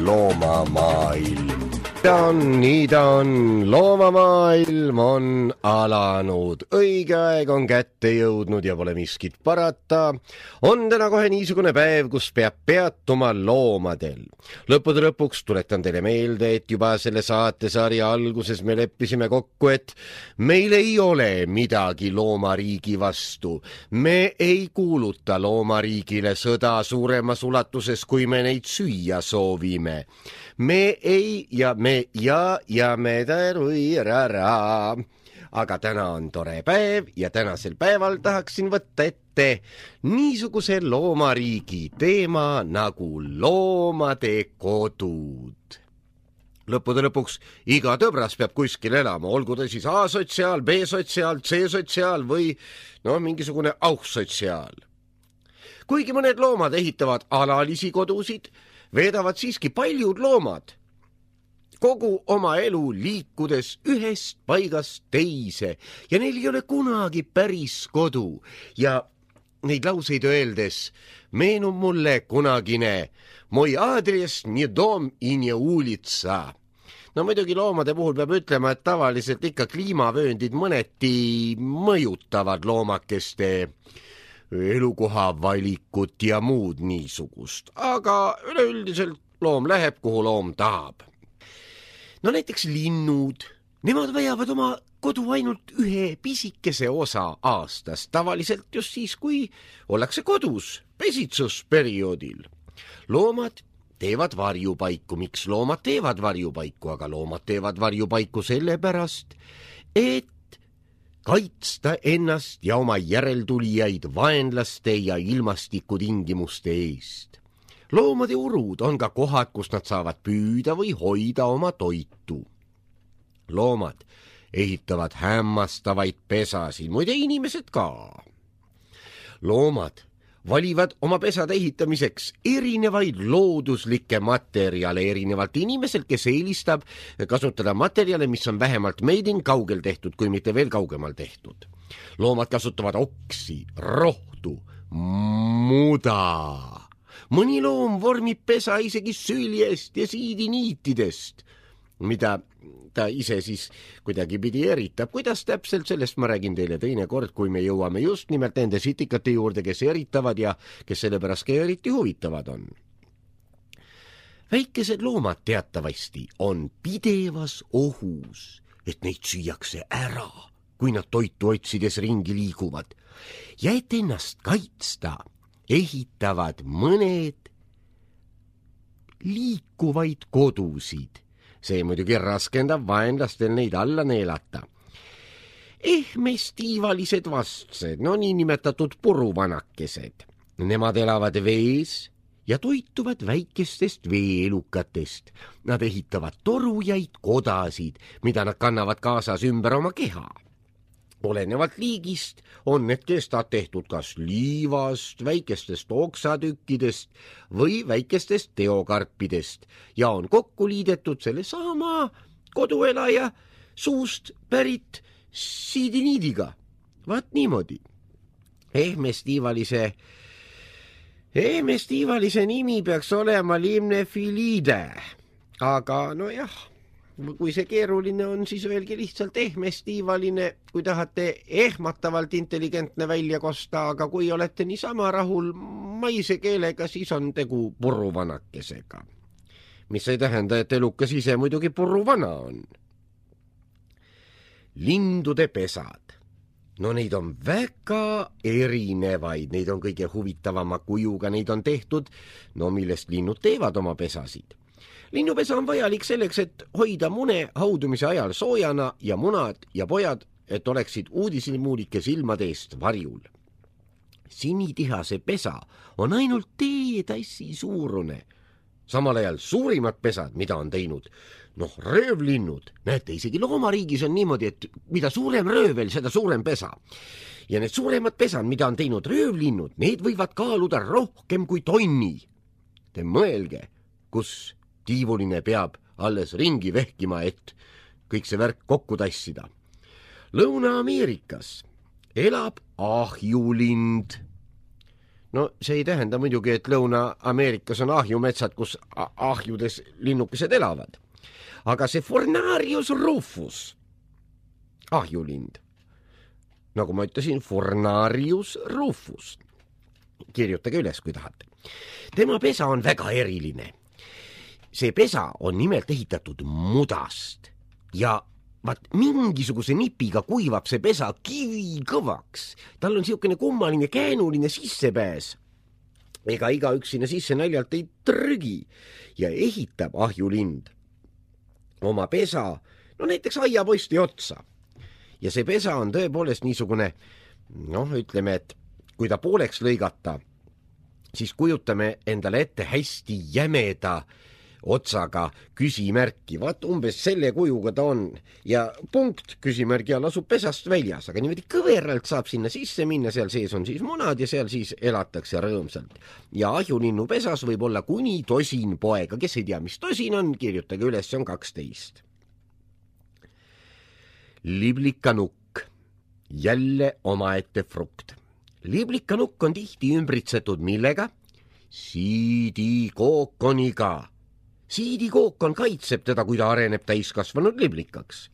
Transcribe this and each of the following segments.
Loomamaailm. Nii ta on, loomamaailm on alanud, õige aeg on kätte jõudnud ja pole miskit parata. On täna kohe niisugune päev, kus peab peatuma loomadel. Lõppude lõpuks tuletan teile meelde, et juba selle saatesarja alguses me leppisime kokku, et meil ei ole midagi loomariigi vastu. Me ei kuuluta loomariigile sõda suuremas ulatuses, kui me neid süüa soovime. Me ei ja me tarui-ra-ra. Aga täna on tore päev ja tänasel päeval tahaksin võtta ette niisuguse loomariigi teema nagu loomade kodud. Lõppude lõpuks iga tõbras peab kuskil elama, olgu ta siis A-sotsiaal, B-sotsiaal, C-sotsiaal või mingisugune auhsotsiaal. Kuigi mõned loomad ehitavad alalisi kodusid, veedavad siiski paljud loomad kogu oma elu liikudes ühest paigast teise ja neil ei ole kunagi päris kodu. Ja neid lauseid öeldes meenub mulle kunagine Moi adres nie dom i nie ulitsa. Muidugi loomade puhul peab ütlema, et tavaliselt ikka kliimavööndid mõneti mõjutavad loomakeste elukoha valikut ja muud niisugust, aga üleüldiselt loom läheb, kuhu loom tahab. Näiteks linnud, nemad vajavad oma kodu ainult ühe pisikese osa aastas, tavaliselt just siis, kui ollakse kodus pesitsusperioodil. Loomad teevad varjupaiku. Miks loomad teevad varjupaiku? Aga loomad teevad varjupaiku sellepärast, et kaitsta ennast ja oma järeltulijaid vaenlaste ja ilmastikutingimuste eest. Loomade urud on ka kohad, kus nad saavad püüda või hoida oma toitu. Loomad ehitavad hämmastavaid pesasid, muide inimesed ka. Loomad valivad oma pesade ehitamiseks erinevaid looduslikke materjale erinevalt inimeselt, kes eelistab kasutada materjale, mis on vähemalt meidin kaugel tehtud, kui mitte veel kaugemal tehtud. Loomad kasutavad oksi, rohtu, muda. Mõni loom vormib pesa isegi süljest ja siidiniitidest, mida ta ise siis kuidagi pidi eritab. Kuidas täpselt, sellest ma räägin teile teine kord, kui me jõuame just nimelt nende sitikate juurde, kes eritavad ja kes sellepärast ka eriti huvitavad on. Väikesed loomad teatavasti on pidevas ohus, et neid süüakse ära, kui nad toitu otsides ringi liiguvad. Ja et ennast kaitsta, ehitavad mõned liikuvaid kodusid. See muidugi raskendab vaenlastel neid alla neelata. Ehmestiivalised vastsed, niinimetatud puruvanakesed. Nemad elavad vees ja toituvad väikestest veeelukatest. Nad ehitavad torujaid kodasid, mida nad kannavad kaasas ümber oma keha. Olenevalt liigist on need kestad tehtud kas liivast, väikestest oksatükkidest või väikestest teokarpidest ja on kokku liidetud selle sama koduelaja suust pärit siidiniidiga. Vaat niimoodi. Ehmestiivalise nimi peaks olema limnefiliide, aga kui see keeruline on, siis öelge lihtsalt ehmestiivaline, kui tahate ehmatavalt intelligentne välja kosta, aga kui olete niisama rahul maise keelega, siis on tegu puruvanakesega. Mis ei tähenda, et elukas ise muidugi puruvana on. Lindude pesad. Neid on väga erinevaid, neid on kõige huvitavama kujuga, neid on tehtud, millest linnud teevad oma pesasid. Linnupesa on vajalik selleks, et hoida mune haudumise ajal soojana ja munad ja pojad, et oleksid uudislimuulike silmade eest varjul. Sinitihase pesa on ainult teetassi suurune. Samal ajal suurimad pesad, mida on teinud, röövlinnud. Näete, isegi loomariigis on niimoodi, et mida suurem röövel, seda suurem pesa. Ja need suuremad pesad, mida on teinud röövlinnud, need võivad kaaluda rohkem kui tonni. Te mõelge, kus tiivuline peab alles ringi vehkima, et kõik see värk kokku tassida. Lõuna-Ameerikas elab ahjulind. No see ei tähenda muidugi, et Lõuna-Ameerikas on ahjumetsad, kus ahjudes linnukesed elavad. Aga see Fornarius rufus, ahjulind, nagu ma ütlesin, Fornarius rufus. Kirjutage üles, kui tahate. Tema pesa on väga eriline. See pesa on nimelt ehitatud mudast ja mingisuguse nipiga kuivab see pesa kivikõvaks. Tal on siukene kummaline käänuline sissepääs. Ega igaüks sinna sisse naljalt ei trügi ja ehitab ahjulind oma pesa, no näiteks aiaposti otsa. Ja see pesa on tõepoolest niisugune, ütleme, et kui ta pooleks lõigata, siis kujutame endale ette hästi jämeda otsaga küsimärki. Vaat umbes selle kujuga ta on ja punkt küsimärgi all asub pesast väljas, aga niimoodi kõveralt saab sinna sisse minna, seal sees on siis munad ja seal siis elatakse rõõmsalt. Ja ahjulinnu pesas võib olla kuni 10 poega, kes ei tea, mis 10 on, kirjutage üles, see on 12. Liblikanukk, jälle omaette frukt. Liblikanukk on tihti ümbritsetud millega? Siidikookoniga. Siidikookon kaitseb teda, kui ta areneb täiskasvanud liblikaks.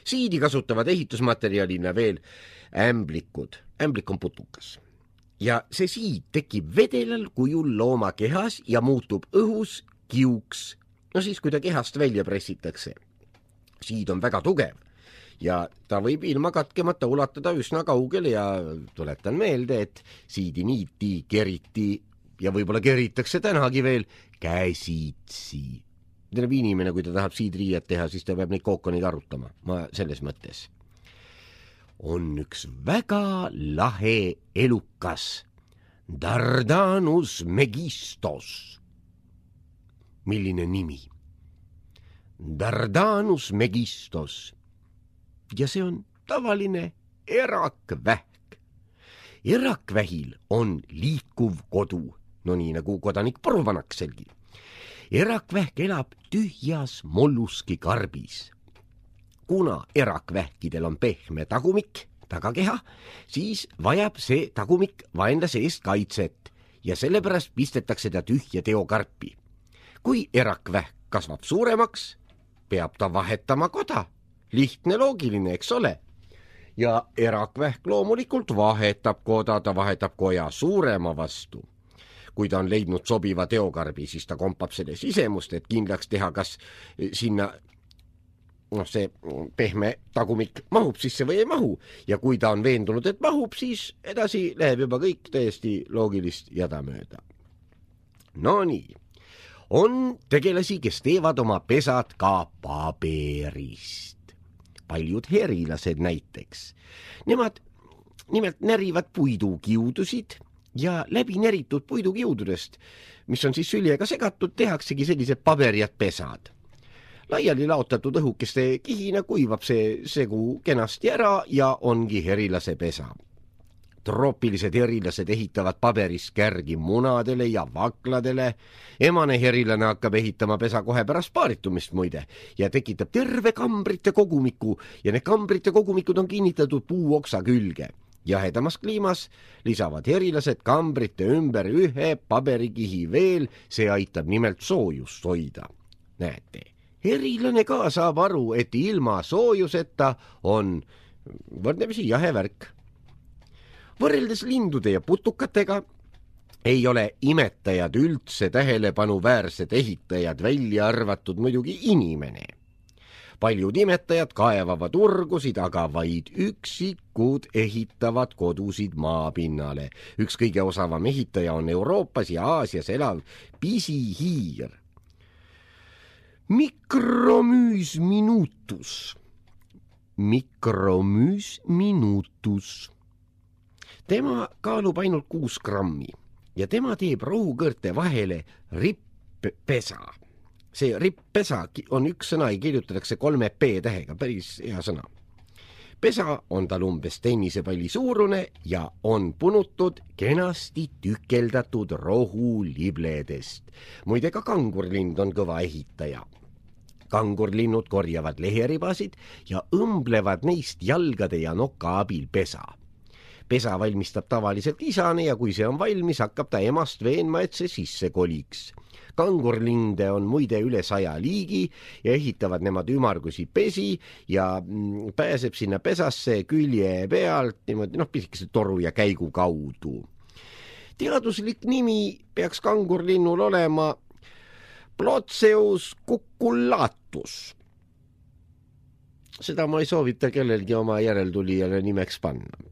Siidi kasutavad ehitusmaterjalina veel ämblikud. Ämblik on putukas. Ja see siid tekib vedelal kujul looma kehas ja muutub õhus kiuks. No siis, kui ta kehast välja pressitakse. Siid on väga tugev ja ta võib ilma katkemata ulatada üsna kaugele ja tuletan meelde, et siidi niiti, keriti ja võib-olla keritakse tänagi veel käsitsi. Terve inimene, kui ta tahab siidriiet teha, siis ta peab neid kookoniga arutama. Ma selles mõttes. On üks väga lahe elukas. Dardanus megistos. Milline nimi? Dardanus megistos. Ja see on tavaline erakvähk. Erakvähil on liikuv kodu. No nii nagu kodanik Porvanakselgi. Erakvähk elab tühjas molluski karbis. Kuna erakvähkidel on pehme tagumik, tagakeha, siis vajab see tagumik vaenlase eest kaitset ja sellepärast pistetakse ta tühja teokarpi. Kui erakvähk kasvab suuremaks, peab ta vahetama koda. Lihtne loogiline, eks ole? Ja erakvähk loomulikult vahetab koda, ta vahetab koja suurema vastu. Kui ta on leidnud sobiva teokarbi, siis ta kompab selle sisemust, et kindlaks teha, kas sinna see pehme tagumik mahub sisse või ei mahu. Ja kui ta on veendunud, et mahub, siis edasi läheb juba kõik täiesti loogilist jadamööda. No nii, on tegelasi, kes teevad oma pesad ka paberist. Paljud herilased näiteks. Nemad nimelt närivad puidukiudusid ja läbi neritud puidukiududest, mis on siis süljega segatud, tehaksegi sellised paberjad pesad. Laiali laotatud õhukeste kihina kuivab see segu kenasti ära ja ongi herilase pesa. Troopilised herilased ehitavad paberist kärgi munadele ja vakladele. Emane herilane hakkab ehitama pesa kohe pärast paaritumist muide ja tekitab terve kambrite kogumiku ja need kambrite kogumikud on kinnitatud puuoksa külge. Jahedamas kliimas lisavad herilased kambrite ümber ühe paberikihi veel, see aitab nimelt soojust hoida. Näete, herilane ka saab aru, et ilma soojuseta on võrdlemisi jahe värk. Võrreldes lindude ja putukatega ei ole imetajad üldse tähelepanuväärsed ehitajad, välja arvatud muidugi inimene. Paljud imetajad kaevavad urgusid, aga vaid üksikud ehitavad kodusid maapinnale. Üks kõige osavam ehitaja on Euroopas ja Aasias elav pisihiir. Micromys minutus. Micromys minutus. Tema kaalub ainult 6 grammi ja tema teeb rohukõrte vahele ripp-pesa. See ripp-pesa on üks sõna ja kirjutatakse 3 p-tähega, päris hea sõna. Pesa on tal umbes tennisepalli suurune ja on punutud kenasti tükeldatud rohulibledest. Muide ka kangurlind on kõva ehitaja. Kangurlinnud korjavad leheribasid ja õmblevad neist jalgade ja noka abil pesa. Pesa valmistab tavaliselt isane ja kui see on valmis, hakkab ta emast veenma, et see sisse koliks. Kangurlinde on muide üle 100 liigi ja ehitavad nemad ümmargusi pesi ja pääseb sinna pesasse külje pealt niimoodi pisikese toru ja käigu kaudu. Teaduslik nimi peaks kangurlinnul olema Ploceus cucullatus. Seda ma ei soovita kellelgi oma järeltulijale nimeks panna.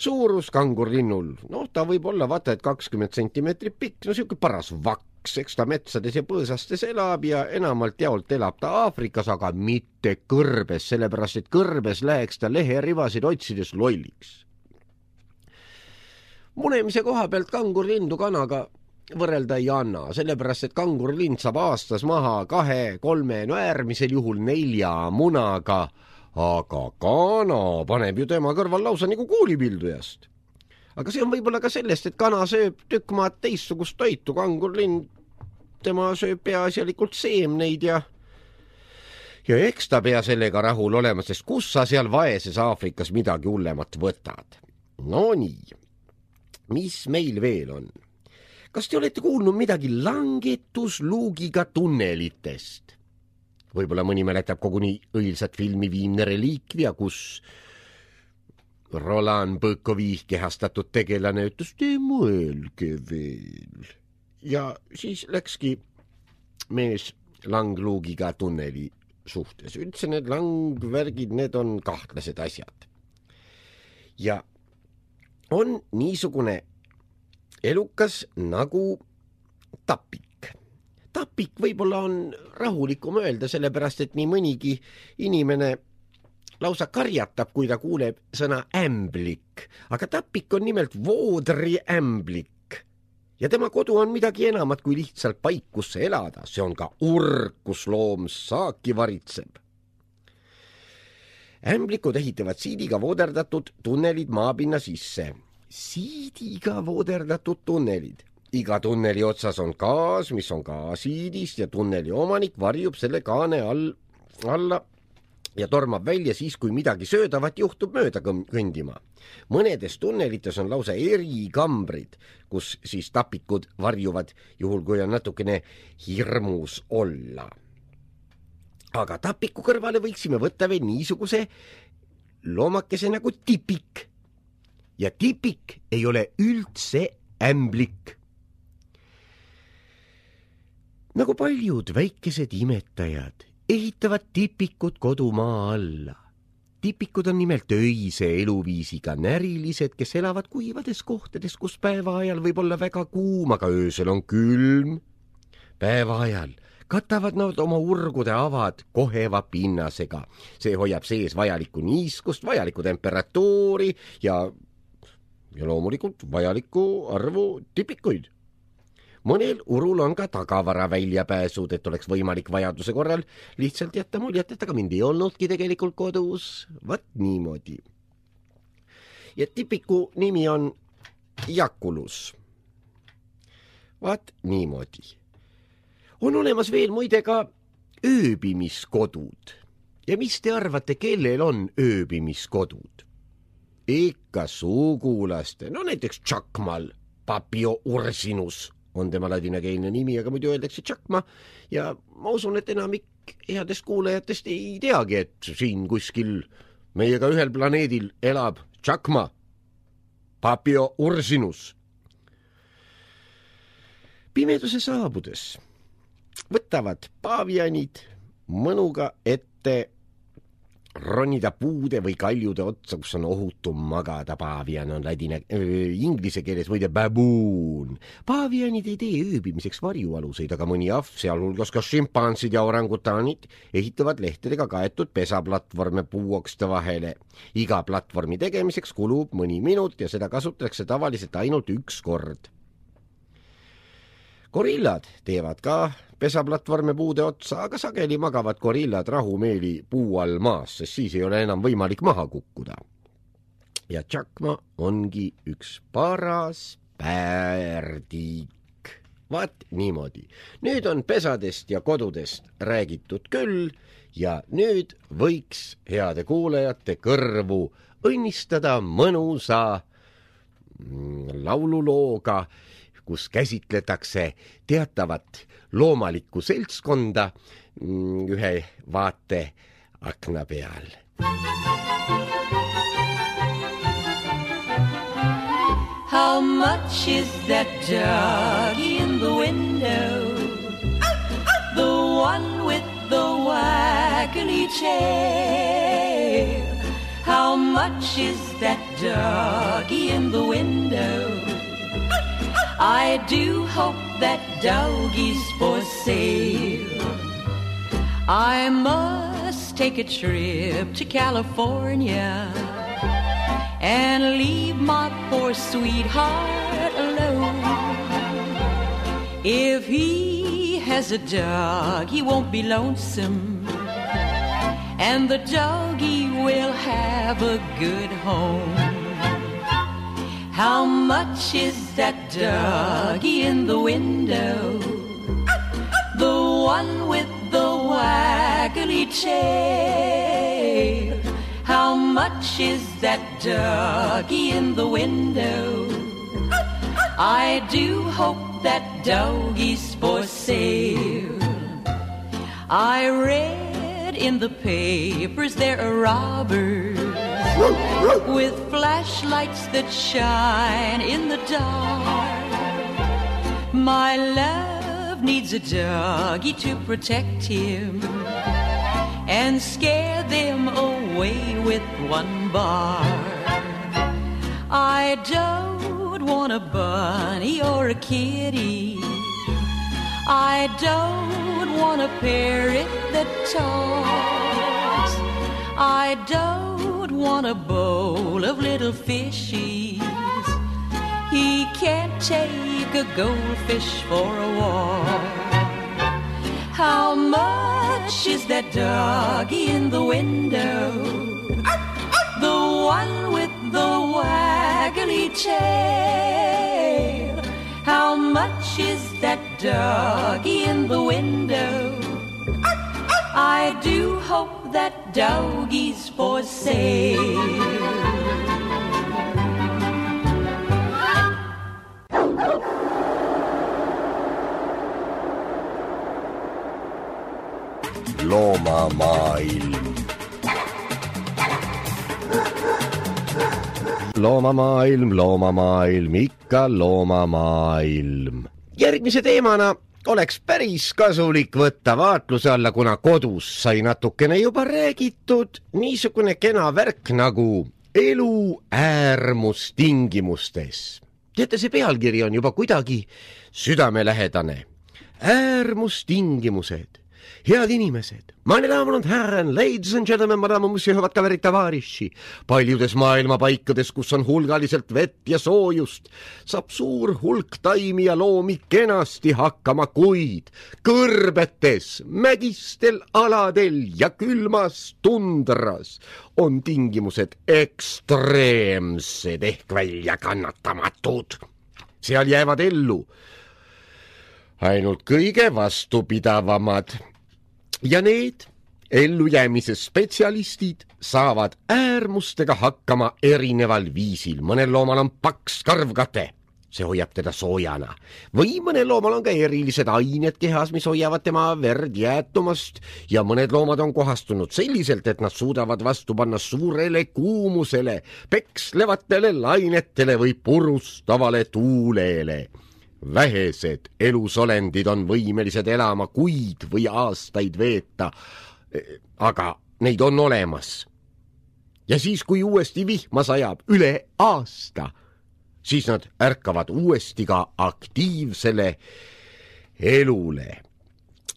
Suurus kangurlinnul, ta võib olla vaata, et 20 sentimeetrit pikk, siuke paras vaks, eks ta metsades ja põõsastes elab ja enamalt jaolt elab ta Aafrikas, aga mitte kõrbes, sellepärast et kõrbes läheks ta leherivasid otsides lolliks. Munemise koha pealt kangurlindu kanaga võrrelda ei anna, sellepärast et kangurlind saab aastas maha 2-3, äärmisel juhul 4 munaga, aga kana paneb ju tema kõrval lausa nagu kuulipildujast. Aga see on võib-olla ka sellest, et kana sööb tükk maad teistsugust toitu, kangurlind, tema sööb peaasjalikult seemneid ja eks ta pea sellega rahul olema, sest kus sa seal vaeses Aafrikas midagi hullemat võtad. No nii, mis meil veel on? Kas te olete kuulnud midagi langetusluugiga tunnelitest? Võib-olla mõni mäletab koguni õilsat filmi Viimne reliikvia, kus Roland Bõkovi kehastatud tegelane ütles, te mõelge veel. Ja siis läkski mees langluugiga tunneli suhtes. Üldse need langvärgid, need on kahtlased asjad. Ja on niisugune elukas nagu tapik. Tapik võib-olla on rahulikum öelda, sellepärast et nii mõnigi inimene lausa karjatab, kui ta kuuleb sõna ämblik. Aga tapik on nimelt voodriämblik. Ja tema kodu on midagi enamat kui lihtsalt paik, kus elada. See on ka urg, kus loom saaki varitseb. Ämblikud ehitavad siidiga vooderdatud tunnelid maapinna sisse. Siidiga vooderdatud tunnelid. Iga tunneli otsas on gaas, mis on ka siidist ja tunneli omanik varjub selle kaane alla ja tormab välja siis, kui midagi söödavat juhtub mööda kõndima. Mõnedes tunnelites on lausa erikambrid, kus siis tapikud varjuvad, juhul kui on natukene hirmus olla. Aga tapiku kõrvale võiksime võtta veel niisuguse loomakese nagu tipik. Ja tipik ei ole üldse ämblik. Nagu paljud väikesed imetajad ehitavad tipikud kodumaa alla. Tipikud on nimelt öise eluviisiga närilised, kes elavad kuivades kohtades, kus päeva ajal võib olla väga kuum, aga öösel on külm. Päeva ajal katavad nad oma urgude avad koheva pinnasega. See hoiab sees vajalikku niiskust, vajalikku temperatuuri ja loomulikult vajalikku arvu tipikuid. Mõnel urul on ka tagavara väljapääsud, et oleks võimalik vajaduse korral lihtsalt jätta muljet, et aga mind ei olnudki tegelikult kodus. Vat niimoodi. Ja tipiku nimi on Jakulus. Vat niimoodi. On olemas veel muide ka ööbimiskodud. Ja mis te arvate, kellel on ööbimiskodud? Ikka sugulaste, näiteks Tšakmal, Papio Ursinus on tema ladinakeelne nimi, aga muidu öeldakse Tšakma ja ma usun, et enamik headest kuulajatest ei teagi, et siin kuskil meiega ühel planeedil elab Tšakma, Papio Ursinus. Pimeduse saabudes võtavad paavianid mõnuga ette ronida puude või kaljude otsa, kus on ohutum magada. Paavian on inglise keeles muide baboon. Paavianid ei tee ööbimiseks varjualuseid, aga mõni ahv, sealhulgas ka šimpansid ja orangutanid, ehitavad lehtedega kaetud pesaplatvorme puuokste vahele. Iga platvormi tegemiseks kulub mõni minut ja seda kasutatakse tavaliselt ainult üks kord. Gorillad teevad ka pesaplatvorme puude otsa, aga sageli magavad gorillad rahumeeli puu all maas, sest siis ei ole enam võimalik maha kukkuda. Ja Tšakma ongi üks paras päärdik. Vaat niimoodi. Nüüd on pesadest ja kodudest räägitud küll ja nüüd võiks heade kuulajate kõrvu õnnistada mõnusa laululooga, kus käsitletakse teatavat loomalikku seltskonda ühe vaate akna peal. How much is that doggy in the window? The one with the waggly tail. How much is that doggy in the window? I do hope that doggy's for sale. I must take a trip to California and leave my poor sweetheart alone. If he has a dog, he won't be lonesome, and the doggy will have a good home. How much is that doggy in the window? The one with the waggly tail. How much is that doggy in the window? I do hope that doggy's for sale. I read in the papers there are robbers with flashlights that shine in the dark. My love needs a doggy to protect him and scare them away with one bark. I don't want a bunny or a kitty. I don't want a parrot that talks. I don't want a bowl of little fishies. He can't take a goldfish for a walk. How much is that doggy in the window? The one with the waggly tail. How much is that doggy in the window? I do hope that doggy's for sale. Loomamaailm. Loomamaailm, loomamaailm, ikka loomamaailm. Järgmise teemana oleks päris kasulik võtta vaatluse alla, kuna kodus sai natukene juba räägitud niisugune kena värk nagu elu äärmustingimustes. Teate, see pealkiri on juba kuidagi südamelähedane. Äärmustingimused. Head inimesed, meine Damen und Herren, ladies and gentlemen, madame, monsieur, hüvad kaverid, tavariši. Paljudes maailma paikades, kus on hulgaliselt vett ja soojust, saab suur hulk taimi ja loomi kenasti hakkama, kuid kõrbetes, mägistel aladel ja külmas tundras on tingimused ekstreemsed ehk väljakannatamatud. Seal jäävad ellu ainult kõige vastupidavamad. Ja need ellujäämise spetsialistid saavad äärmustega hakkama erineval viisil. Mõnel loomal on paks karvkate, see hoiab teda soojana. Või mõnel loomal on ka erilised ained kehas, mis hoiavad tema verd jäätumast. Ja mõned loomad on kohastunud selliselt, et nad suudavad vastu panna suurele kuumusele, pekslevatele lainetele või purustavale tuulele. Vähesed elusolendid on võimelised elama kuid või aastaid veeta, aga neid on olemas. Ja siis, kui uuesti vihma sajab üle aasta, siis nad ärkavad uuesti ka aktiivsele elule.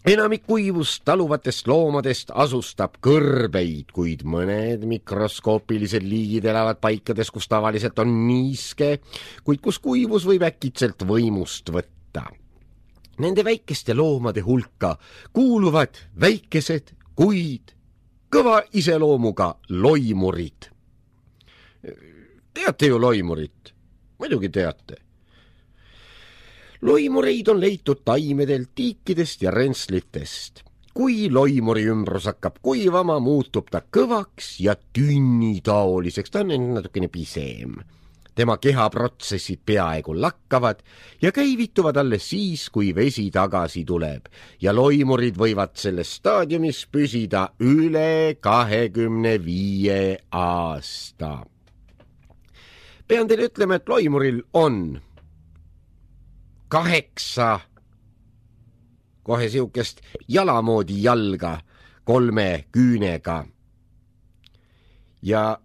Enamik kuivust taluvatest loomadest asustab kõrbeid, kuid mõned mikroskoopilised liigid elavad paikades, kus tavaliselt on niiske, kuid kus kuivus võib äkitselt võimust võtta. Nende väikeste loomade hulka kuuluvad väikesed, kuid kõva iseloomuga loimurid. Teate ju loimurit? Muidugi teate. Loimureid on leitud taimedelt, tiikidest ja rentslitest. kui loimuri ümbrus hakkab kuivama, muutub ta kõvaks ja tünnitaoliseks, ta on natukene pisem. Tema kehaprotsessid peaaegu lakkavad ja käivituvad alles siis, kui vesi tagasi tuleb ja loimurid võivad selles staadiumis püsida üle 25 aasta. Pean teile ütlema, et loimuril on 8 kohe siukest jalamoodi jalga 3 küünega ja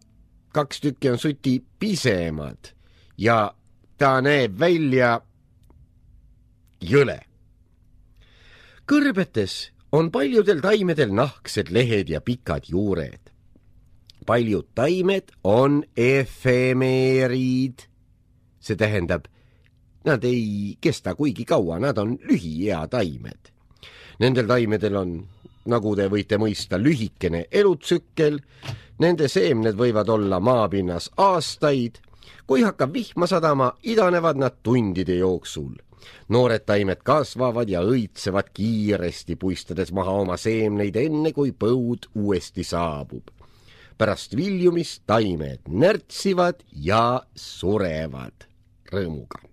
2 tükki on suti pisemad ja ta näeb välja jõle. Kõrbetes on paljudel taimedel nahksed lehed ja pikad juured. Paljud taimed on efemeerid. See tähendab, nad ei kesta kuigi kaua, nad on lühiea taimed. Nendel taimedel on, nagu te võite mõista, lühikene elutsükkel. Nende seemned võivad olla maapinnas aastaid. Kui hakkab vihma sadama, idanevad nad tundide jooksul. Noored taimed kasvavad ja õitsevad kiiresti, puistades maha oma seemneid enne, kui põud uuesti saabub. Pärast viljumist taimed närtsivad ja surevad rõõmuga.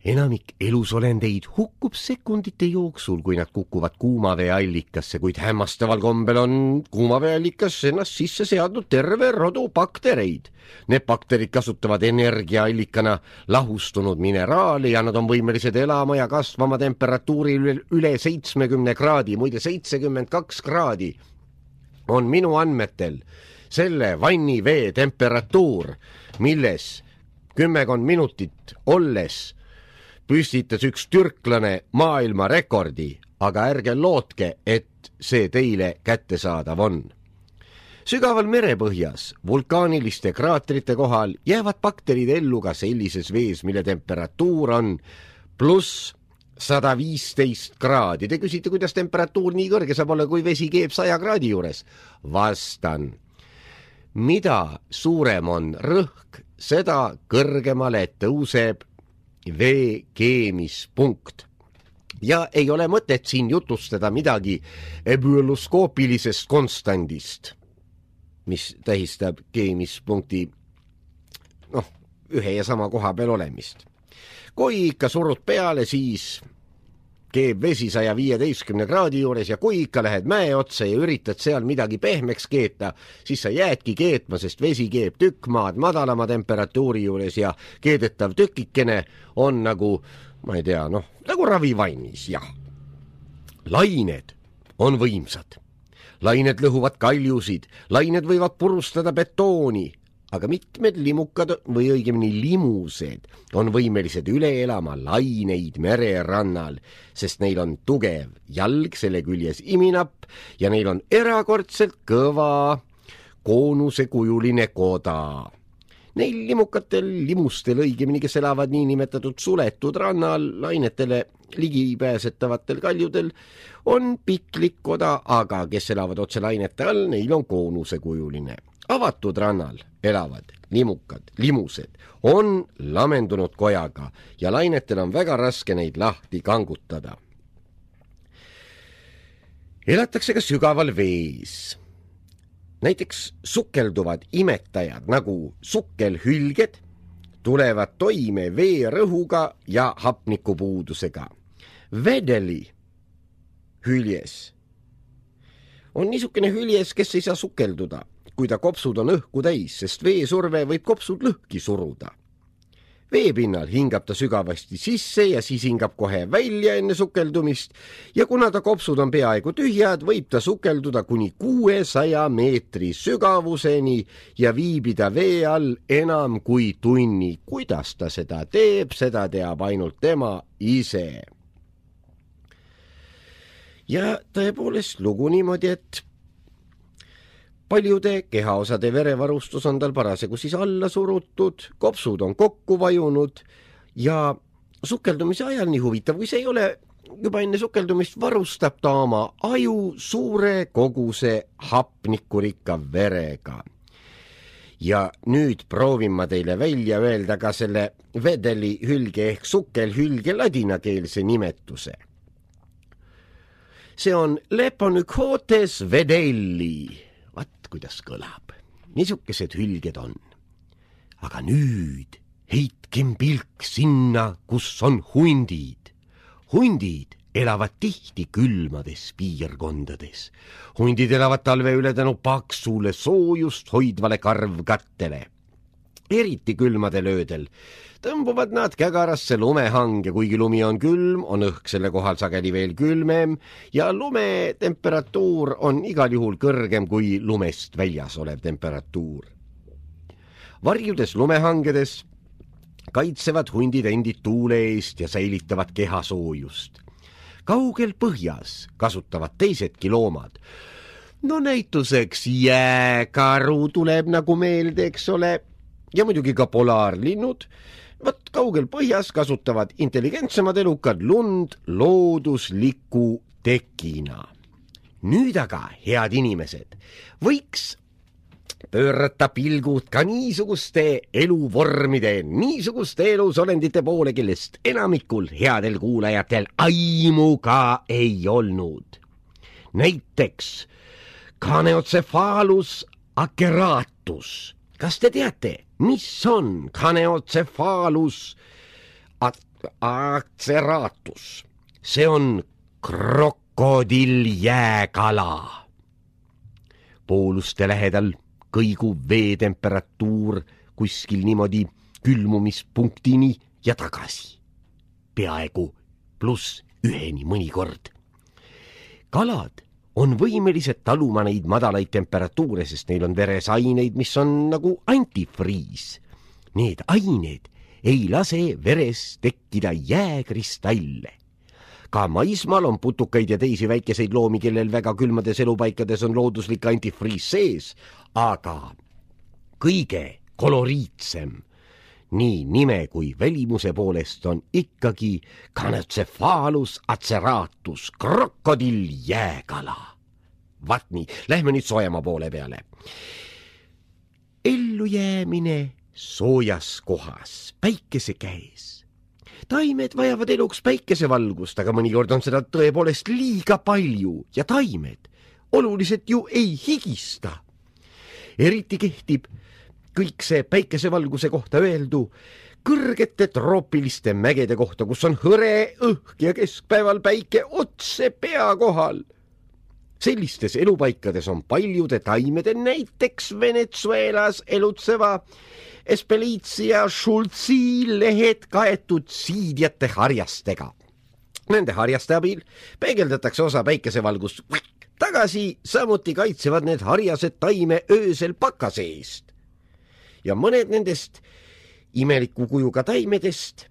Enamik elusolendeid hukkub sekundite jooksul, kui nad kukuvad kuumaveeallikasse, kuid hämmastaval kombel on kuumaveeallikas ennast sisse seadnud terve rodu baktereid. Need bakterid kasutavad energiaallikana lahustunud mineraali ja nad on võimelised elama ja kasvama temperatuuri üle 70 kraadi, muide 72 kraadi on minu andmetel selle vannivee temperatuur, milles 10 minutit olles püstitas üks türklane maailmarekordi, aga ärge lootke, et see teile kättesaadav on. Sügaval merepõhjas, vulkaaniliste kraatrite kohal jäävad bakterid ellu ka sellises vees, mille temperatuur on pluss 115 kraadi. Te küsite, kuidas temperatuur nii kõrge saab olla, kui vesi keeb 100 kraadi juures? Vastan. Mida suurem on rõhk, seda kõrgemale tõuseb vee keemispunkt. Ja ei ole mõtet siin jutustada midagi ebüloskoopilisest konstandist, mis tähistab keemispunkti ühe ja sama koha peal olemist. Kui ikka surud peale, siis keeb vesi 115 kraadi juures ja kui ikka lähed mäe otsa ja üritad seal midagi pehmeks keeta, siis sa jäädki keetma, sest vesi keeb tükk maad madalama temperatuuri juures ja keedetav tükikene on nagu, ma ei tea, nagu ravivannis, jah. Lained on võimsad. Lained lõhuvad kaljusid, lained võivad purustada betooni, aga mitmed limukad või õigemini limused on võimelised üle elama laineid mererannal, sest neil on tugev jalg, selle küljes iminapp ja neil on erakordselt kõva koonusekujuline koda. Neil limustel õigemini, kes elavad niinimetatud suletud rannal, lainetele ligipääsetavatel kaljudel, on piklik koda, aga kes elavad otse lainete all, neil on koonusekujuline. Avatud rannal elavad limused on lamendunud kojaga ja lainetel on väga raske neid lahti kangutada. Elatakse ka sügaval vees. Näiteks sukelduvad imetajad nagu sukkelhülged tulevad toime veerõhuga ja hapnikupuudusega. Vedeli hüljes on niisugune hüljes, kes ei saa sukelduda, kui ta kopsud on õhku täis, sest veesurve võib kopsud lõhki suruda. Veepinnal hingab ta sügavasti sisse ja siis hingab kohe välja enne sukeldumist ja kuna ta kopsud on peaaegu tühjad, võib ta sukelduda kuni 600 meetri sügavuseni ja viibida vee all enam kui tunni. Kuidas ta seda teeb, seda teab ainult tema ise. Ja tõepoolest lugu niimoodi, et paljude kehaosade verevarustus on tal parasjagu siis alla surutud, kopsud on kokku vajunud ja sukeldumise ajal, nii huvitav, kui see ei ole juba enne sukeldumist, varustab ta oma aju suure koguse hapnikurikka verega. Ja nüüd proovin ma teile välja öelda ka selle vedelihülge ehk sukelhülge ladinakeelse nimetuse. see on Leponychotes vedelli. Vaat kuidas kõlab. Niisukesed hülged on. Aga nüüd heitkem pilk sinna, kus on hundid. Hundid elavad tihti külmades piirkondades. Hundid elavad talve üle tänu paksule soojust hoidvale karvkattele. Eriti külmadel öödel tõmbuvad nad kägarasse lumehange, kuigi lumi on külm, on õhk selle kohal sageli veel külmem ja lume temperatuur on igal juhul kõrgem kui lumest väljas olev temperatuur. Varjudes lumehangedes kaitsevad hundid endid tuule eest ja säilitavad kehasoojust. Kaugel põhjas kasutavad teisedki loomad. No näituseks jääkaru tuleb nagu meelde, eks ole, ja muidugi ka polaarlinnud. Vat kaugel põhjas kasutavad intelligentsemad elukad lund loodusliku tekina. Nüüd aga, head inimesed, võiks pöörata pilgud ka niisuguste eluvormide, niisuguste elusolendite poole, kellest enamikul headel kuulajatel aimu ka ei olnud. Näiteks Caneocephalus aceratus. Kas te teate, mis on Caneocephalus aceratus? See on krokodilljääkala. Pooluste lähedal kõigub veetemperatuur kuskil niimoodi külmumispunktini ja tagasi. Peaaegu +1 mõnikord. Kalad on võimelised taluma neid madalaid temperatuure, sest neil on veres aineid, mis on nagu antifriis. Need ained ei lase veres tekkida jääkristalle. Ka maismaal on putukaid ja teisi väikeseid loomi, kellel väga külmades elupaikades on looduslik antifriis sees, aga kõige koloriitsem nii nime kui välimuse poolest on ikkagi Caneocephalus aceratus, krokodilljääkala. Vaat nii, lähme nüüd soojama poole peale. Ellujäämine soojas kohas, päikese käes. Taimed vajavad eluks päikesevalgust, aga mõnikord on seda tõepoolest liiga palju ja taimed oluliselt ju ei higista. Eriti kehtib kõik see päikesevalguse kohta öeldu kõrgete troopiliste mägede kohta, kus on hõre õhk ja keskpäeval päike otse pea kohal. Sellistes elupaikades on paljude taimede, näiteks Venezuelas elutseva Espelitia schultzi lehed kaetud siidjate harjastega. Nende harjaste abil peegeldatakse osa päikesevalgust tagasi, samuti kaitsevad need harjased taime öösel pakase eest. Ja mõned nendest imeliku kujuga taimedest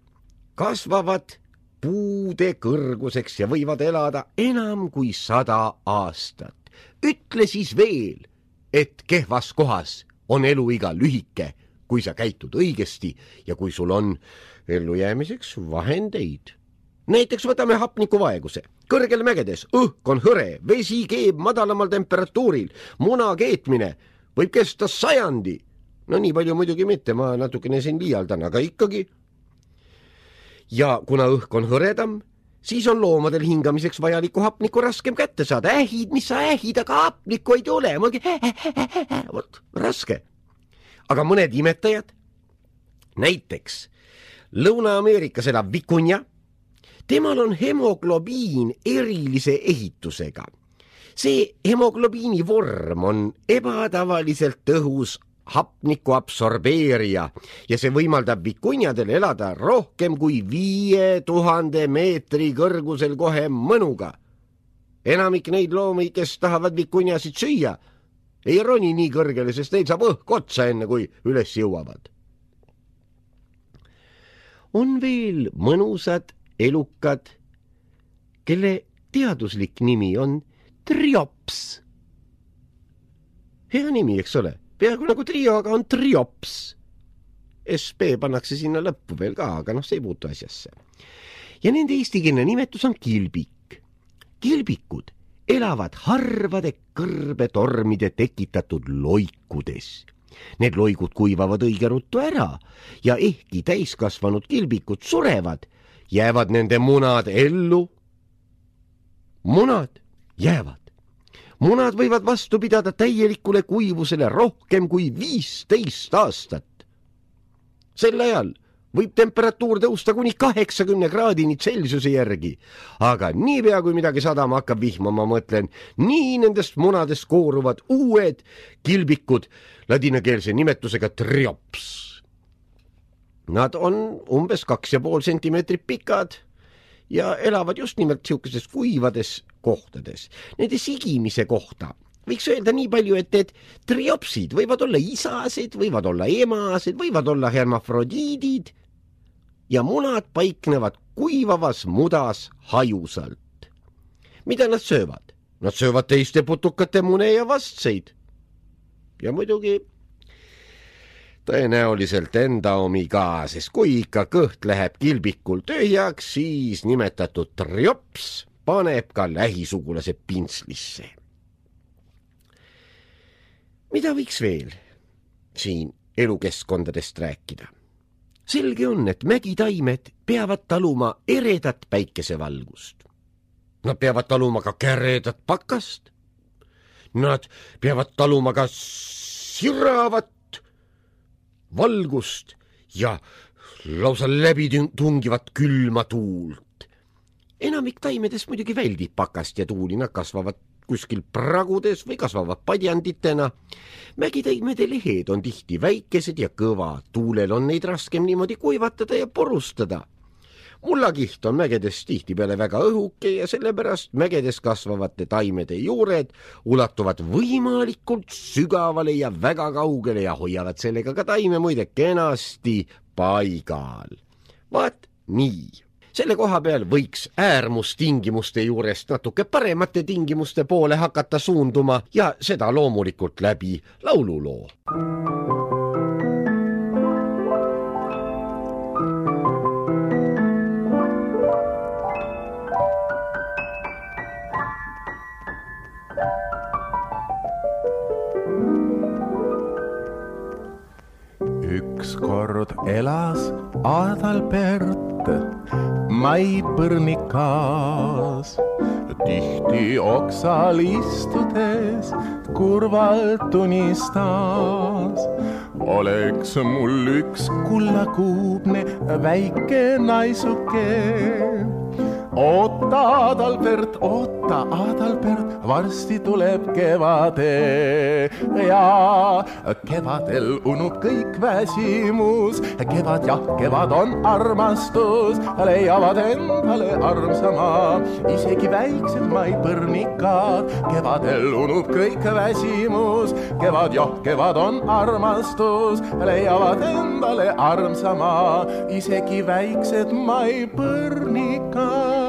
kasvavad puude kõrguseks ja võivad elada enam kui 100 aastat. Ütle siis veel, et kehvas kohas on eluiga lühike, kui sa käitud õigesti ja kui sul on ellujäämiseks vahendeid. Näiteks võtame hapnikuvaeguse. Kõrgel mägedes õhk on hõre, vesi keeb madalamal temperatuuril, muna keetmine võib kesta 100. No nii palju muidugi mitte, ma natukene siin liialdan, aga ikkagi. Ja kuna õhk on hõredam, siis on loomadel hingamiseks vajalikku hapnikku raskem kätte saada. Ähid, mis sa ähid, aga hapnikku ei tule. Raske. Aga mõned imetajad, näiteks Lõuna-Ameerikas elav vikunja, temal on hemoglobiin erilise ehitusega. See hemoglobiini vorm on ebatavaliselt tõhus hapniku absorbeerija ja see võimaldab vikunjadel elada rohkem kui 5000 meetri kõrgusel kohe mõnuga. Enamik neid loomi, kes tahavad vikunjasid süüa, ei roni nii kõrgele, sest neil saab õhk otsa enne, kui üles jõuavad. On veel mõnusad elukad, kelle teaduslik nimi on triops. Hea nimi, eks ole? Peaaegu nagu trio, aga on triops. SB pannakse sinna lõppu veel ka, aga see ei puutu asjasse. Ja nende eestikeelne nimetus on kilbik. Kilbikud elavad harvade kõrbetormide tekitatud loikudes. Need loigud kuivavad õige ruttu ära ja ehkki täiskasvanud kilbikud surevad, jäävad nende munad ellu. Munad jäävad. Munad võivad vastu pidada täielikule kuivusele rohkem kui 15 aastat. Sel ajal võib temperatuur tõusta kuni 80 kraadini Celsiuse järgi, aga niipea kui midagi sadama hakkab vihmama, mõtlen, nii nendest munadest kooruvad uued kilbikud ladinakeelse nimetusega triops. Nad on umbes 2,5 sentimeetrit pikad ja elavad just nimelt siukeses kuivades kohtades. Nende sigimise kohta võiks öelda nii palju, et triopsid võivad olla isased, võivad olla emased, võivad olla hermafrodiidid ja munad paiknevad kuivavas mudas hajusalt. Mida nad söövad? Nad söövad teiste putukate mune ja vastseid. Ja muidugi tõenäoliselt enda omi ka, sest kui ikka kõht läheb kilbikul tühjaks, siis nimetatud triops paneb ka lähisugulase pintslisse. Mida võiks veel siin elukeskkondadest rääkida? Selge on, et mägitaimed peavad taluma eredat päikesevalgust. Nad peavad taluma ka käredat pakast. Nad peavad taluma ka siravat valgust ja lausa läbitungivat külma tuult. Enamik taimedest muidugi väldib pakast ja tuuli, nad kasvavad kuskil pragudes või kasvavad padjanditena. Mägitaimede lehed on tihti väikesed ja kõva, tuulel on neid raskem niimoodi kuivatada ja porustada. Mullakiht on mägedes tihtipeale väga õhuke ja sellepärast mägedes kasvavate taimede juured ulatuvad võimalikult sügavale ja väga kaugele ja hoiavad sellega ka taime muide kenasti paigal. Vaat nii. Selle koha peal võiks äärmustingimuste juurest natuke paremate tingimuste poole hakata suunduma ja seda loomulikult läbi laululoo. Ükskord elas Adalbert maipõrnikas, tihti oksal istudes kurvalt unistas. Oleks mul üks kullakuubne väike naisuke. Oota, Adalbert, varsti tuleb kevade ja kevadel unub kõik väsimus. Kevad jah, kevad on armastus, leiavad endale armsama isegi väiksed maipõrnikad. Kevadel unub kõik väsimus, kevad jah, kevad on armastus, leiavad endale armsama isegi väiksed maipõrnikad.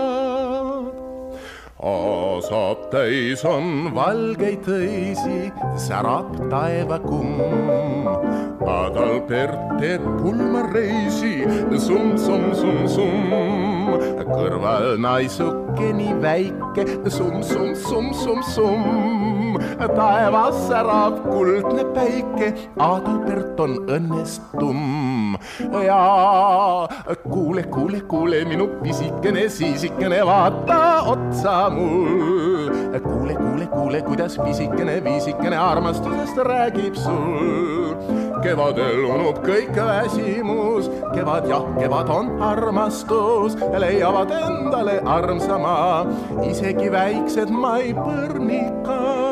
Aasab täis on valgeid tõisi, särab taevakumm. Adalbert teeb pulmareisi, summ, summ, summ, summ. Kõrval naisuke nii väike, summ, summ, summ, summ, summ. Taevas särab kuldne päike, Adalbert on õnnestum. Ja kuule, kuule, kuule, minu pisikene siisikene, vaata otsa mul. Kuule, kuule, kuule, kuidas pisikene viisikene armastusest räägib sul. Kevadel unub kõik väsimus, kevad jah, kevad on armastus, leiavad endale armsama isegi väiksed maipõrnikad.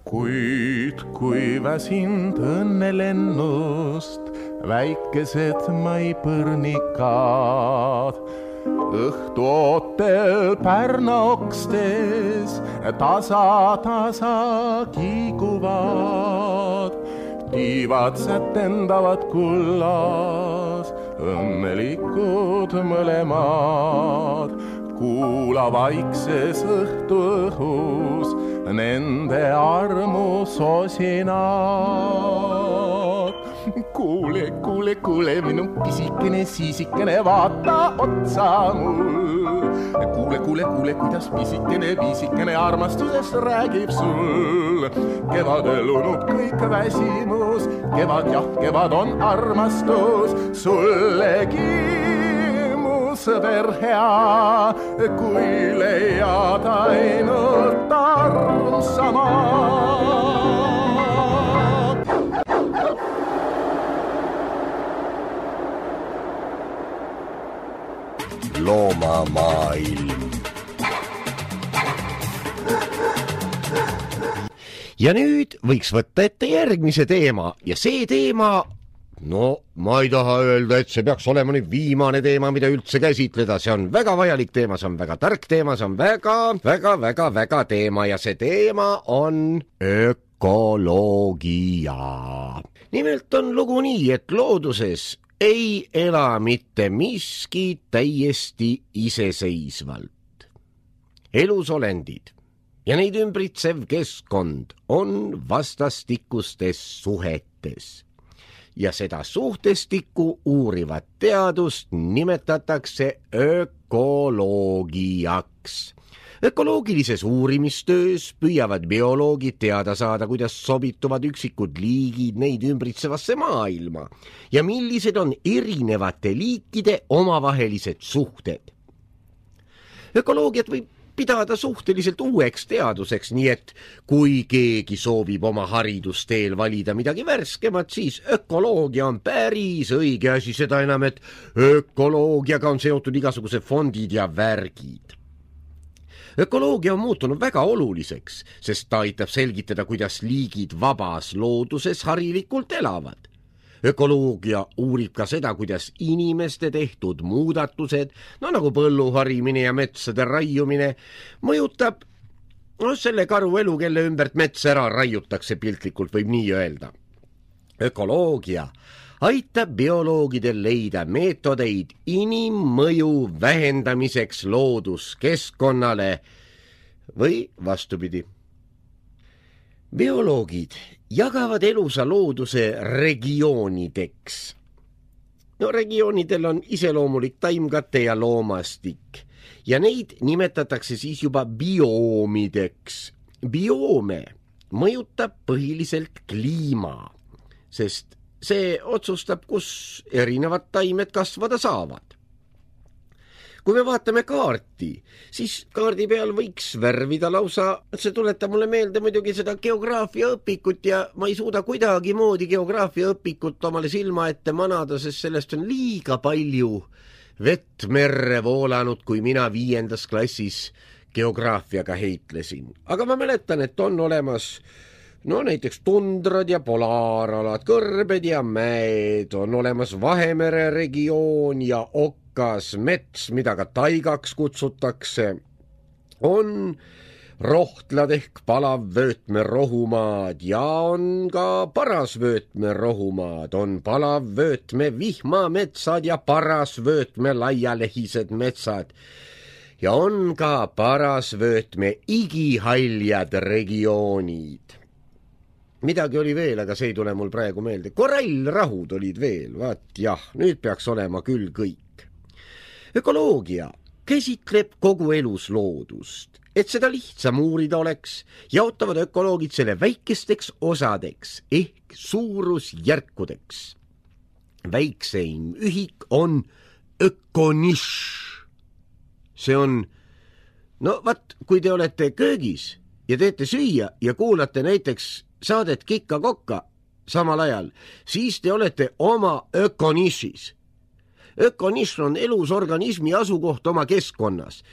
Kuid kui väsind õnnelennust väikesed maipõrnikad, õhtu ootel pärnaokstes tasa kiiguvad, tiivad sätendavad kullas, õnnelikud mõlemad. Kuula vaikses õhtuõhus nende armu sosinad. Kuule, kuule, kuule, minu pisikene siisikene, vaata otsa mul. Kuule, kuule, kuule, kuidas pisikene viisikene armastusest räägib sul. Kevadel unub kõik väsimus, kevad jah, kevad on armastus sullegi mu sõber hea, kui leiad ainult armsama. Loomamaailm. Ja nüüd võiks võtta ette järgmise teema ja see teema, no ma ei taha öelda, et see peaks olema nüüd viimane teema, mida üldse käsitleda, see on väga vajalik teema, see on väga tark teema, see on väga teema ja see teema on ökoloogia. Nimelt on lugu nii, et looduses ei ela mitte miski täiesti iseseisvalt. Elusolendid ja neid ümbritsev keskkond on vastastikustes suhetes ja seda suhtestikku uurivat teadust nimetatakse ökoloogiaks. Ökoloogilises uurimistöös püüavad bioloogid teada saada, kuidas sobituvad üksikud liigid neid ümbritsevasse maailma ja millised on erinevate liikide omavahelised suhted. Ökoloogiat võib pidada suhteliselt uueks teaduseks, nii et kui keegi soovib oma haridusteel valida midagi värskemat, siis ökoloogia on päris õige asi, seda enam, et ökoloogiaga on seotud igasugused fondid ja värgid. Ökoloogia on muutunud väga oluliseks, sest ta aitab selgitada, kuidas liigid vabas looduses harilikult elavad. Ökoloogia uurib ka seda, kuidas inimeste tehtud muudatused, nagu põlluharimine ja metsade raiumine, mõjutab selle karu elu, kelle ümbert mets ära raiutakse, piltlikult võib nii öelda. Ökoloogia aitab bioloogidel leida meetodeid inimmõju vähendamiseks looduskeskkonnale või vastupidi. Bioloogid jagavad elusa looduse regioonideks. Regioonidel on iseloomulik taimkate ja loomastik ja neid nimetatakse siis juba bioomideks. Bioome mõjutab põhiliselt kliima, sest see otsustab, kus erinevad taimed kasvada saavad. Kui me vaatame kaarti, siis kaardi peal võiks värvida lausa, see tuletab mulle meelde muidugi seda geograafiaõpikut ja ma ei suuda kuidagi moodi geograafiaõpikut omale silma ette manada, sest sellest on liiga palju vett merre voolanud, kui mina 5. klassis geograafiaga heitlesin. Aga ma mäletan, et on olemas näiteks tundrad ja polaaralad, kõrbed ja mäed, on olemas Vahemere regioon ja okkas mets, mida ka taigaks kutsutakse, on rohtlad ehk palavvöötmerohumaad ja on ka parasvöötmerohumaad, on palavvöötme vihmametsad ja parasvöötme laialehised metsad ja on ka parasvöötme igihaljad regioonid. Midagi oli veel, aga see ei tule mul praegu meelde. Korallrahud olid veel, vaat jah, nüüd peaks olema küll kõik. Ökoloogia käsitleb kogu elus loodust, et seda lihtsam uurida oleks, jaotavad ökoloogid selle väikesteks osadeks ehk suurusjärkudeks. Väikseim ühik on ökonišš. See on, kui te olete köögis ja teete süüa ja kuulate näiteks saadet Kikka-Kokka samal ajal, siis te olete oma ökonišis. Ökonišš on elus organismi asukoht oma keskkonnas.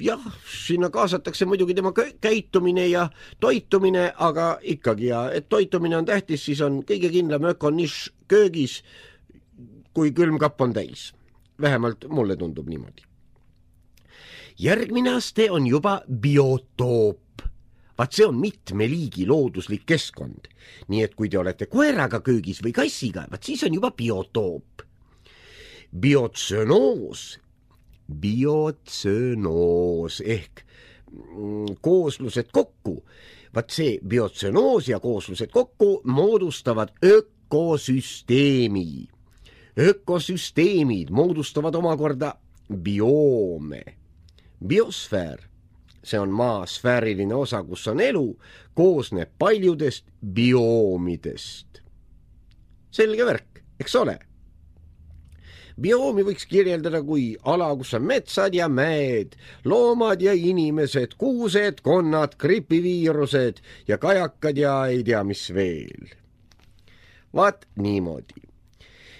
Jah, sinna kaasatakse muidugi tema käitumine ja toitumine, aga ikkagi, et toitumine on tähtis, siis on kõige kindlam ökonišš köögis, kui külmkapp on täis. Vähemalt mulle tundub niimoodi. Järgmine aste on juba biotoop. Vaat see on mitme liigi looduslik keskkond. Nii et kui te olete koeraga köögis või kassiga, vaat siis on juba biotoop. Biotsönoos ehk kooslused kokku. Vaat see biotsönoos ja kooslused kokku moodustavad ökosüsteemi. Ökosüsteemid moodustavad omakorda bioome. Biosfäär, see on maa sfääriline osa, kus on elu, koosneb paljudest bioomidest. Selge värk, eks ole? Bioomi võiks kirjeldada kui ala, kus on metsad ja mäed, loomad ja inimesed, kuused, konnad, gripiviirused ja kajakad ja ei tea mis veel. Vaat niimoodi.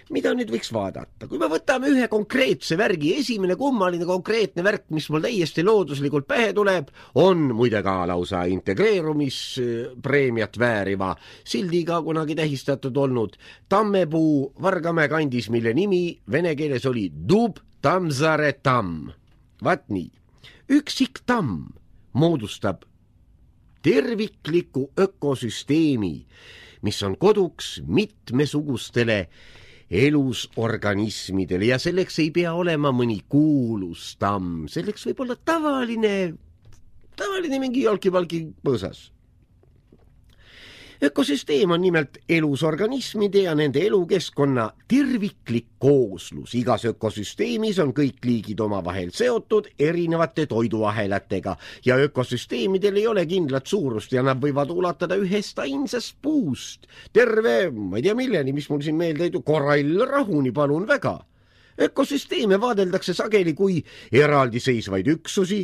Mida nüüd võiks vaadata? Kui me võtame ühe konkreetse värgi, esimene kummaline konkreetne värk, mis mul täiesti looduslikult pähe tuleb, on muide ka lausa integreerumispreemiat vääriva sildiga kunagi tähistatud olnud Tammepuu Vargamäe kandis, mille nimi vene keeles oli Dub Tamsare tamm. Vaat nii. Üksik tamm moodustab tervikliku ökosüsteemi, mis on koduks mitmesugustele elusorganismidele ja selleks ei pea olema mõni kuulus tamm, selleks võib olla tavaline mingi jalki-valki põõsas. Ökosüsteem on nimelt elusorganismide ja nende elukeskkonna terviklik kooslus. Igas ökosüsteemis on kõik liigid omavahel seotud erinevate toiduahelatega ja ökosüsteemidel ei ole kindlat suurust ja nad võivad ulatada ühest ainsast puust. Terve, ma ei tea milleni, mis mul siin meelde ei tule, korallrahuni palun väga. Ökosüsteeme vaadeldakse sageli kui eraldiseisvaid üksusi.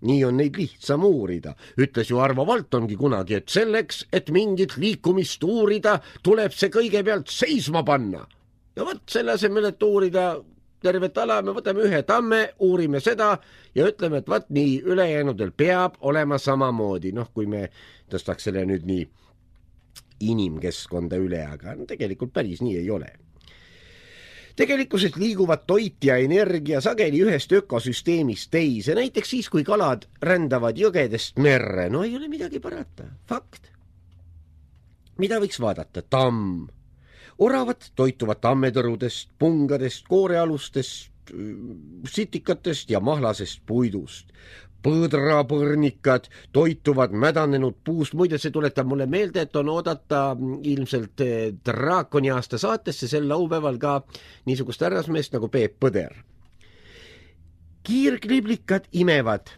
Nii on neid lihtsam uurida. Ütles ju Arvo Valtongi kunagi, et selleks, et mingit liikumist uurida, tuleb see kõigepealt seisma panna. Ja võt selle asemel, et uurida tervet ala, me võtame ühe tamme, uurime seda ja ütleme, et võt nii, ülejäänudel peab olema samamoodi. Kui me tõstaks selle nüüd nii inimkeskkonda üle, aga tegelikult päris nii ei ole. Tegelikkuses liiguvad toit ja energia sageli ühest ökosüsteemist teise, näiteks siis, kui kalad rändavad jõgedest merre. No ei ole midagi parata. Fakt. Mida võiks vaadata? Tamm. Oravad toituvad tammetõrudest, pungadest, koorealustest, sitikatest ja mahlasest puidust. Põdrapõrnikad toituvad mädanenud puust. Muide, see tuletab mulle meelde, et on oodata ilmselt Draakoni aasta saatesse sel laupäeval ka niisugust härrasmeest nagu Peep Põder. Kiirkliblikad imevad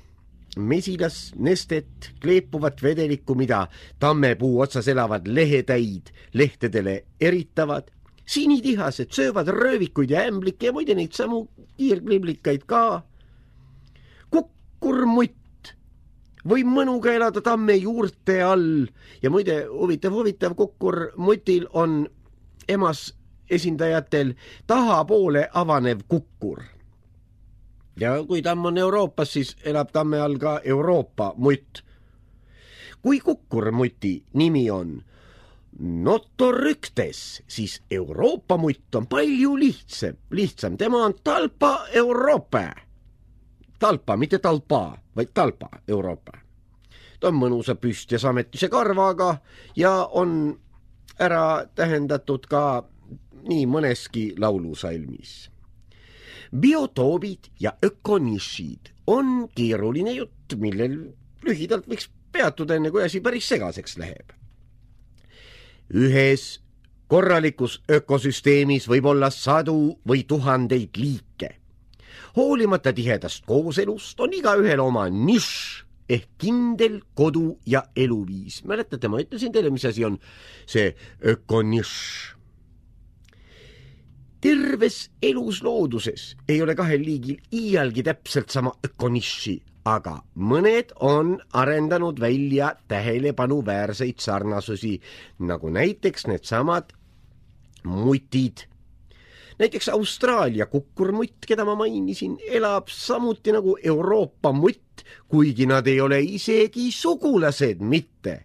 mesilas nestet, kleepuvat vedelikku, mida tammepuu otsas elavad lehetäid lehtedele eritavad. Sinitihased söövad röövikuid ja ämblikke ja muide neid samu kiirkliblikaid ka. Kukkurmutt või mõnuga elada tamme juurte all ja muide huvitav kukkurmutil on emas esindajatel tahapoole avanev kukkur. Ja kui tamm on Euroopas, siis elab tamme all ka Euroopa mutt. Kui kukkurmuti nimi on Notoryktes, siis Euroopa mutt on palju lihtsam. Tema on Talpa Euroopa. Talpa, mitte talpa, vaid Talpa Euroopa. Ta on mõnusa püst ja sametise karvaga ja on ära tähendatud ka nii mõneski laulusalmis. Biotoobid ja ökonišid on keeruline jutt, millel lühidalt võiks peatuda enne, kui asi päris segaseks läheb. Ühes korralikus ökosüsteemis võib olla sadu või tuhandeid liike. Hoolimata tihedast kooselust on igaühel oma nišš ehk kindel kodu ja eluviis. Mäletate, ma ütlesin teile, mis asi on see ökonišš. Terves elus looduses ei ole kahel liigil iialgi täpselt sama ökonišši, aga mõned on arendanud välja tähelepanuväärseid sarnasusi, nagu näiteks needsamad mutid. Näiteks Austraalia kukkurmutt, keda ma mainisin, elab samuti nagu Euroopa mutt, kuigi nad ei ole isegi sugulased mitte.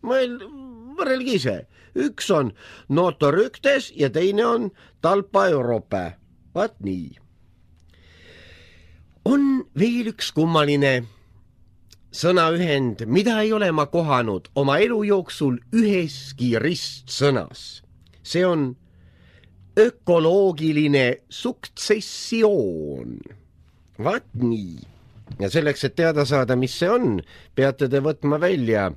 Võrrelge ise. Üks on Notoryktes ja teine on Talpa Euroopa. Vaat nii. On veel üks kummaline sõnaühend, mida ei ole ma kohanud oma elu jooksul üheski ristsõnas. See on ökoloogiline suktsessioon. Vaat nii. Ja selleks, et teada saada, mis see on, peate te võtma välja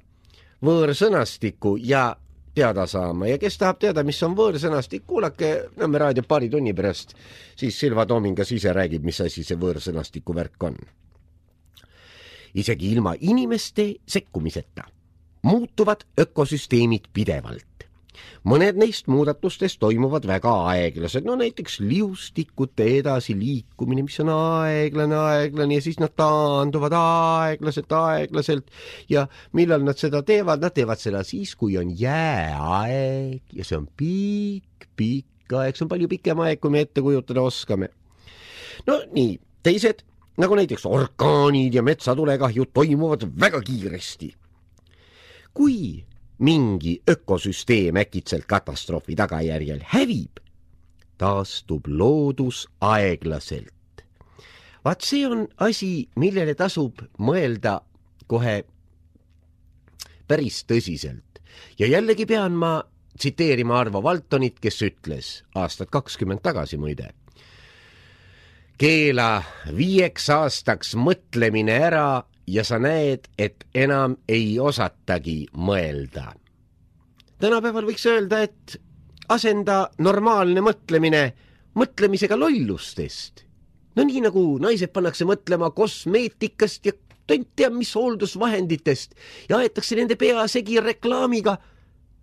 võõrsõnastiku ja teada saama. Ja kes tahab teada, mis on võõrsõnastik, kuulake Nõmme raadio paari tunni pärast, siis Silva Toomingas ise räägib, mis asi see võõrsõnastiku värk on. Isegi ilma inimeste sekkumiseta muutuvad ökosüsteemid pidevalt. Mõned neist muudatustest toimuvad väga aeglased, no näiteks liustikute edasi liikumine, mis on aeglane ja siis nad taanduvad aeglaselt ja millal nad seda teevad, nad teevad seda siis, kui on jääaeg ja see on pikk aeg, see on palju pikem aeg, kui me ette kujutada oskame. No nii, teised, nagu näiteks orkaanid ja metsatulekahjud toimuvad väga kiiresti. Kui mingi ökosüsteem äkitselt katastroofi tagajärjel hävib, taastub loodus aeglaselt. Vaat see on asi, millele tasub mõelda kohe päris tõsiselt. Ja jällegi pean ma tsiteerima Arvo Valtonit, kes ütles aastat 20 tagasi muide. Keela 5 aastaks mõtlemine ära ja sa näed, et enam ei osatagi mõelda. Tänapäeval võiks öelda, et asenda normaalne mõtlemine mõtlemisega lollustest. No nii nagu naised pannakse mõtlema kosmeetikast ja tont teab mis hooldusvahenditest ja aetakse nende pea segi reklaamiga.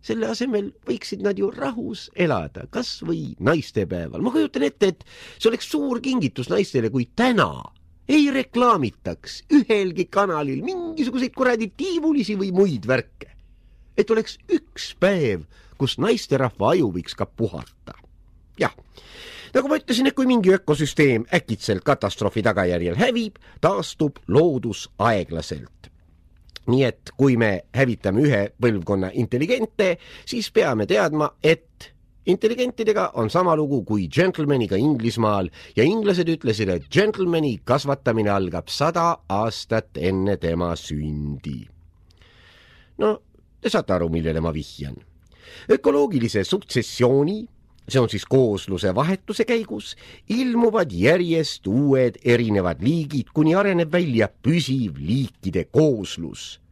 Selle asemel võiksid nad ju rahus elada, kas või naistepäeval. Ma kujutan ette, et see oleks suur kingitus naistele, kui täna ei reklaamitaks ühelgi kanalil mingisuguseid kuradi tiivulisi või muid värke. Et oleks üks päev, kus naisterahva aju võiks ka puhata. Jah, nagu ma ütlesin, et kui mingi ökosüsteem äkitselt katastroofi tagajärjel hävib, taastub loodus aeglaselt. Nii et kui me hävitame ühe põlvkonna intelligente, siis peame teadma, et intelligentidega on sama lugu kui gentlemaniga Inglismaal ja inglased ütlesid, et gentlemani kasvatamine algab 100 aastat enne tema sündi. No, te saate aru, millele ma vihjan. Ökoloogilise suksessiooni, see on siis koosluse vahetuse käigus, ilmuvad järjest uued erinevad liigid, kuni areneb välja püsiv liikide kooslus.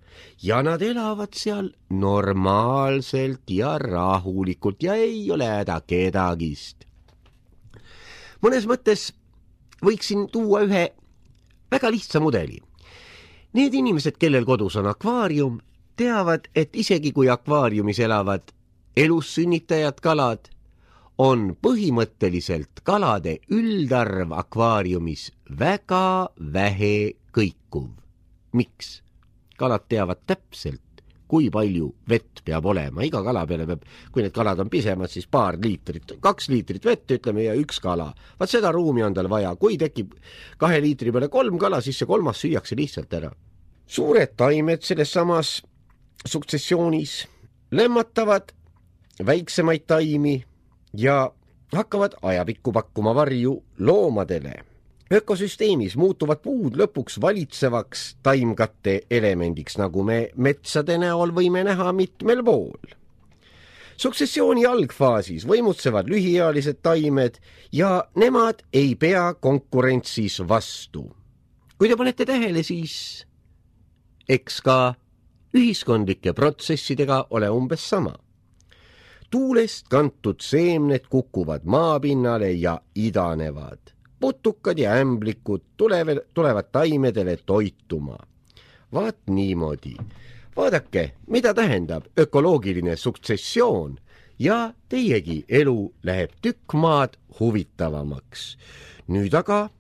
Ja nad elavad seal normaalselt ja rahulikult ja ei ole häda kedagist. Mõnes mõttes võiksin tuua ühe väga lihtsa mudeli. Need inimesed, kellel kodus on akvaarium, teavad, et isegi kui akvaariumis elavad elussünnitajad kalad, on põhimõtteliselt kalade üldarv akvaariumis väga vähe kõikuv. Miks? Kalad teavad täpselt, kui palju vett peab olema. Iga kala peale peab, kui need kalad on pisemad, siis 2 liitrit, 2 liitrit vett, ütleme, ja 1 kala. Vaat seda ruumi on tal vaja. Kui tekib 2 liitri peale 3 kala, siis see 3. süüakse lihtsalt ära. Suured taimed selles samas suksessioonis lämmatavad väiksemaid taimi ja hakkavad ajapikku pakkuma varju loomadele. Ökosüsteemis muutuvad puud lõpuks valitsevaks taimkatte elemendiks, nagu me metsade näol võime näha mitmel pool. Suksessiooni algfaasis võimutsevad lühiealised taimed ja nemad ei pea konkurentsis vastu. Kui te panete tähele, siis eks ka ühiskondlike protsessidega ole umbes sama. Tuulest kantud seemned kukuvad maapinnale ja idanevad. Putukad ja ämblikud tulevad taimedele toituma. Vaat niimoodi. Vaadake, mida tähendab ökoloogiline suksessioon ja teiegi elu läheb tükk maad huvitavamaks. Nüüd aga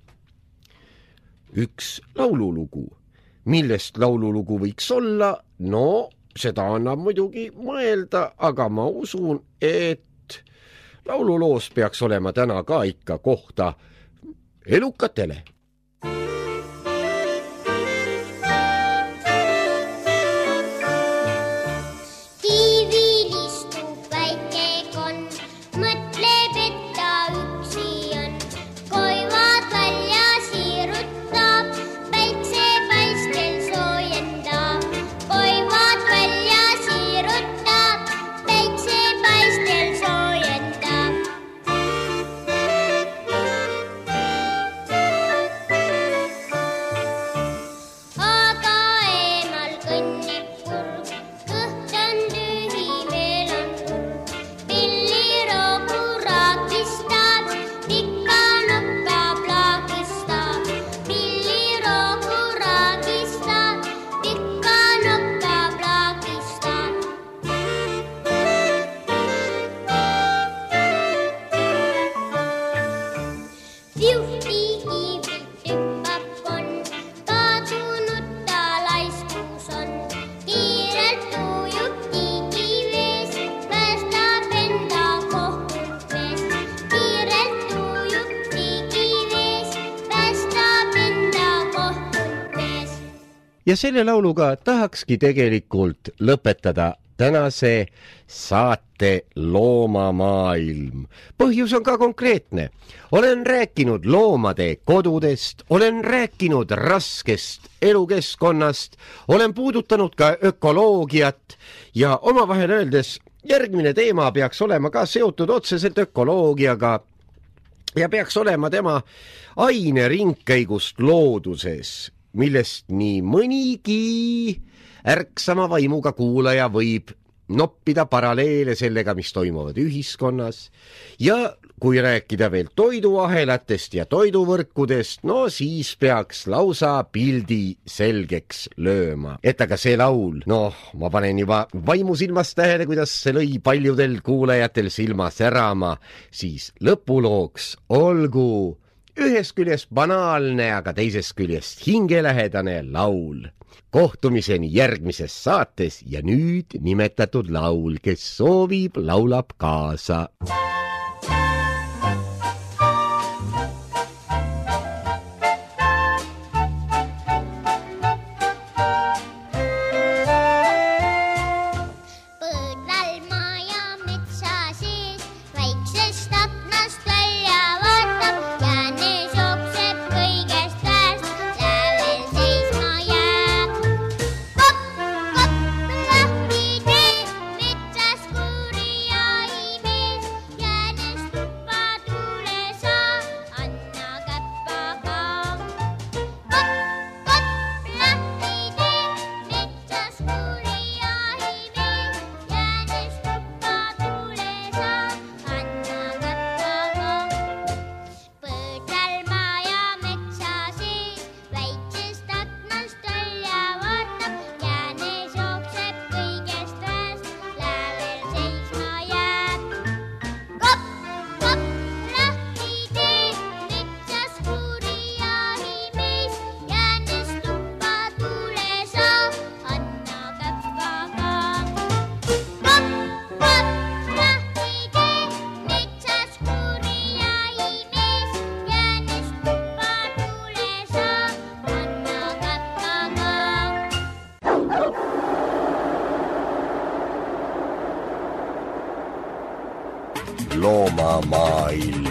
üks laululugu. Millest laululugu võiks olla? No, seda annab muidugi mõelda, aga ma usun, et laululoos peaks olema täna ka ikka kohta elukatele. Kiivil istub väike konn, mõtleb, et ta üksi on. Koivad välja siirutab, päiksepaistel soojendab. Koivad välja siirutab, päiksepaistel soojendab. ja selle lauluga tahakski tegelikult lõpetada tänase saate Loomamaailm. Põhjus on ka konkreetne. Olen rääkinud loomade kodudest, olen rääkinud raskest elukeskkonnast, olen puudutanud ka ökoloogiat ja omavahel öeldes järgmine teema peaks olema ka seotud otseselt ökoloogiaga ja peaks olema tema aineringkäigust looduses, millest nii mõnigi ärksama vaimuga kuulaja võib noppida paralleele sellega, mis toimuvad ühiskonnas. Ja kui rääkida veel toiduahelatest ja toiduvõrkudest, no siis peaks lausa pildi selgeks lööma. Et aga see laul, ma panen juba vaimusilmast tähele, kuidas see lõi paljudel kuulajatel silma särama, siis lõpulooks olgu ühest küljest banaalne, aga teisest küljest hingelähedane laul. Kohtumiseni järgmises saates ja nüüd nimetatud laul, kes soovib, laulab kaasa. Loomamaailm.